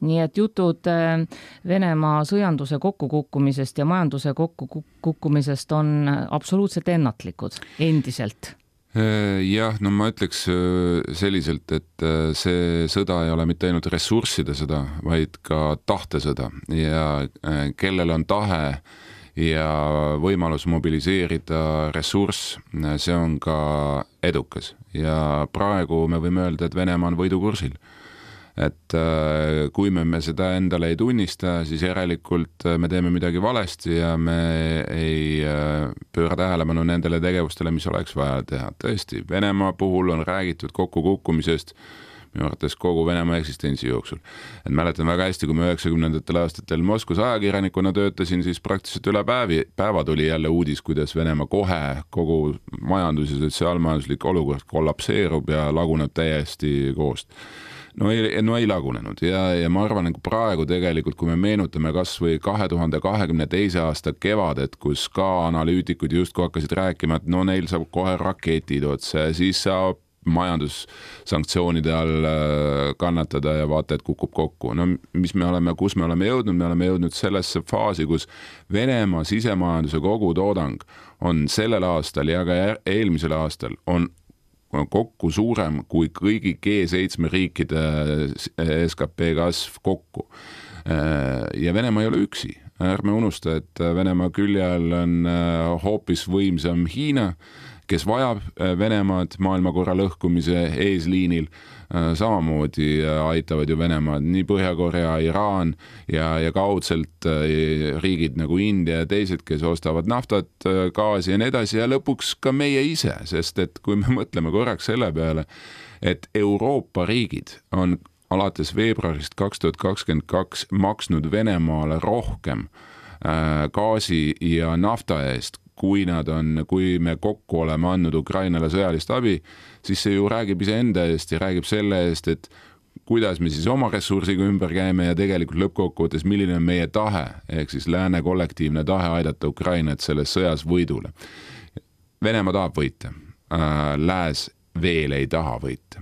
Nii et jutud Venemaa sõjanduse kokkukukkumisest ja majanduse kokkukukkumisest on absoluutselt ennatlikud endiselt. Jah, no ma ütleks selliselt, et see sõda ei ole mitte ainult ressursside sõda, vaid ka tahtesõda ja kellel on tahe ja võimalus mobiliseerida ressurss, see on ka edukas ja praegu me võime öelda, et Venemaa on võidukursil. Et kui me seda endale ei tunnista, siis järelikult me teeme midagi valesti ja me ei pööra tähelepanu nendele tegevustele, mis oleks vaja teha. Tõesti, Venemaa puhul on räägitud kokkukukkumisest minu arvates kogu Venemaa eksistentsi jooksul. Et mäletan väga hästi, kui me 90. aastatel Moskvas ajakirjanikuna töötasin, siis praktiliselt üle päeva tuli jälle uudis, kuidas Venemaa kohe kogu majandus- ja sotsiaalmajanduslik olukord kollapseerub ja laguneb täiesti koost. No ei lagunenud ja ma arvan, et praegu tegelikult, kui me meenutame kas või 2022. aasta kevadet, kus ka analüütikud justkui hakkasid rääkima, et no neil saab kohe raketid otsa, siis saab majandussanktsioonide all kannatada ja vaata, et kukub kokku. No kus me oleme jõudnud? Me oleme jõudnud sellesse faasi, kus Venemaa sisemajanduse kogutoodang on sellel aastal ja ka eelmisel aastal on kokku suurem kui kõigi G7 riikide SKP kasv kokku. Ja Venemaa ei ole üksi. Ärme unusta, et Venemaa külje all on hoopis võimsam Hiina, kes vajab Venemaad maailmakorra lõhkumise eesliinil. Samamoodi aitavad ju Venemaad nii Põhja-Korea, Iraan ja kaudselt riigid nagu India ja teised, kes ostavad naftat, gaasi ja nii edasi ja lõpuks ka meie ise, sest et kui me mõtleme korraks selle peale, et Euroopa riigid on alates veebruarist 2022 maksnud Venemaale rohkem gaasi ja nafta eest, kui me kokku oleme andnud Ukrainale sõjalist abi, siis see ju räägib iseenda eest ja räägib selle eest, et kuidas me siis oma ressursiga ümber käime ja tegelikult lõppkokkuvõttes, milline on meie tahe, ehk siis lääne kollektiivne tahe aidata Ukrainat selles sõjas võidule. Venemaa tahab võita, lääs veel ei taha võita.